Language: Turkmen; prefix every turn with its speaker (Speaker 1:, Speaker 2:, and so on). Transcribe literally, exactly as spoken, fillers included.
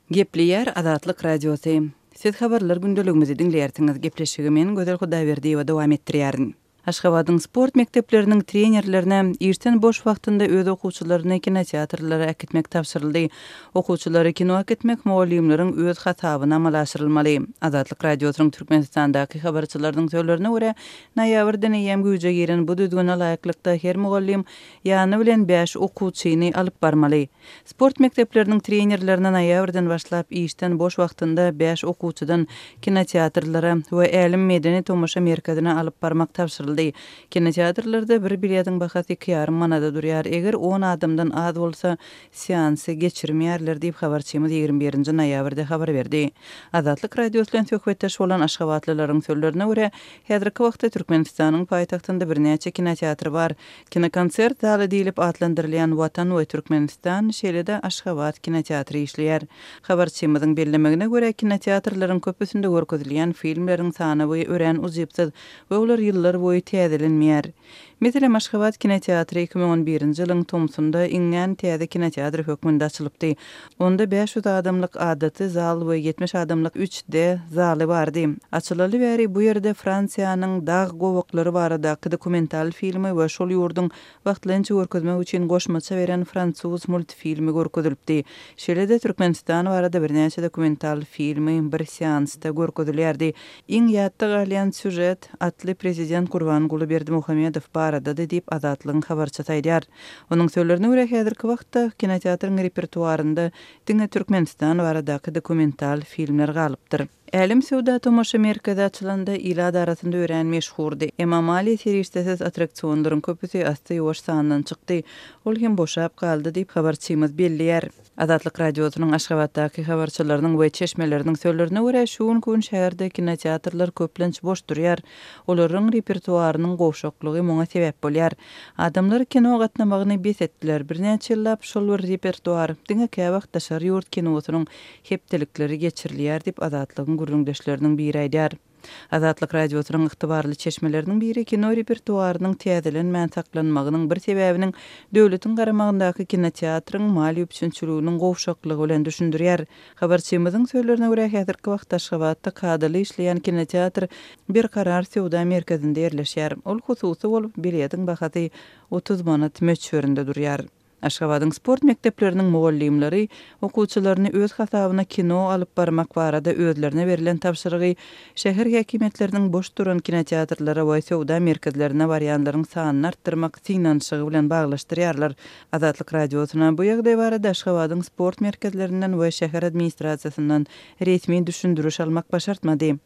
Speaker 1: Gepleýär Azatlyk Radiosy. Siz habarlar gündeligimizi diňleýärsiňiz. Gepleşigi men Gözel Hudaýberdiýewa dowam etdirýärin. Aşgabadyň sport mekdepleriniň trenerlerine işden boş wagtynda öz okuwçylaryny kinoteatrlara äkitmek tabşyryldy. Okuwçylary kino äkitmek mugallymlaryň öz hasabyna amala aşyrylmaly. Azatlyk Radiosynyň Türkmenistandaky habarçylarynyň sözlerine görä, noýabrdan eýýäm güýje giren bu düzgüne laýyklykda her mugallym ýany bilen bäş okuwçyny alyp barmaly. Sport mekdepleriniň trenerlerine noýabrdan başlap işden boş wagtynda bäş okuwçydan kinoteatrlara we Älem medeni tomaşa merkezine alyp barmak tabşyryldy. Kinoteatrlarda bir biletiň bahasy iki ýarym manada durýar. Eger on adamdan az bolsa, seansy geçirmeýärler diýip habarçymyz ýigrimi birinji noýabrda habar berdi. Azatlyk Radiosy bilen söhbetdeş bolan aşgabatlylaryň sözlerine görä, häzirki wagtda Türkmenistanyň paýtagtynda birnäçe kinoteatr bar. Kinokonsert zaly diýlip atlandyrylýan Watan we Türkmenistan, şeýle-de Aşgabat kinoteatry işleýär. Habarçymyzyň bellemegine görä, kinoteatrlaryň köpüsinde görkezilýän filmleriň sanawy örän ujypsyz we olar ýyllar boýy täzelenmeýär. Meselem, Aşgabat kinoteatry iki müň on birinji ýylyň tomsunda iňňän täze kinoteatr hökmünde açylypdy. Onda bäş ýüz adamlyk adaty zal we ýetmiş adamlyk üç D zaly bardy. Açylaly bäri bu ýerde Fransiýanyň dag gowaklary baradaky dokumental filmi we şol ýurduň wagtlaýynça görkezmek üçin goşmaça beren fransuz multfilmi görkezilipdi. Şeýle-de Türkmenistan barada birnäçe dokumental filmi bir seansda görkezilýärdi. Iň ýatda galýan sýužet atly prezident Gurbanguly Berdimuhamedow baradady diýip Azatlygyň habarçysy aýdýar. Onuň sözlerine görä, häzirki wagtda kinoteatryň repertuarynda diňe Türkmenistan baradaky dokumental filmler galypdyr. Älem söwda tomaşa merkezi açylanda ilat arasynda örän meşhurdy. Emma maliýe serişdesiz attraksionlaryň köpüsi asty ýuwaş sandan çykdy. Ol hem boşap galdy diýip habarçymyz belleýär. Azatlyk Radiosynyň Aşgabatdaky habarçylarynyň we çeşmeleriniň sözlerine görä, şu günki gün şäherde kinoteatrlar köplenç boş durýar. Olaryň repertuarynyň gowşaklygy muňa sebäp bolýar. Adamlar kino gatnamagyny bes etdiler. Birnäçe ýyllap şol bir repertuar diňe käwagt daşary ýurt kinosynyň hepdelikleri geçirilýär diýip Azatlygyň gürrüňdeşleriniň biri aýdýar. Azatlyk Radiosynyň ygtybarly çeşmeleriniň biri kino repertuarynyň täzelenmän saklanmagynyň bir sebäbiniň döwletiň garamagyndaky kinoteatryň maliýe üpjünçiliginiň gowşaklygy bilen düşündirýär. Habarçymyzyň sözlerine görä, häzirki wagtda Aşgabatda kadaly işleýän kinoteatr Berkarar söwda merkezinde ýerleşýär. Ol hususy bolup, biletiň bahasy otuz manat möçberinde durýar. Aşgabadyň sport mekdepleriniň mugallymlary okuwçylaryny öz hasabyna kino alyp barmak barada özlerine berlen tabşyrygy şäher häkimiýetleriniň boş duran kinoteatrlara we söwda merkezlerine barýanlaryň sanyny artdyrmak synanyşygy bilen baglaşdyrýarlar. Azatlyk Radiosyna bu ýagdaý barada Aşgabadyň sport merkezlerinden we şäher administrasiýasyndan resmi düşündiriş almak başartmady.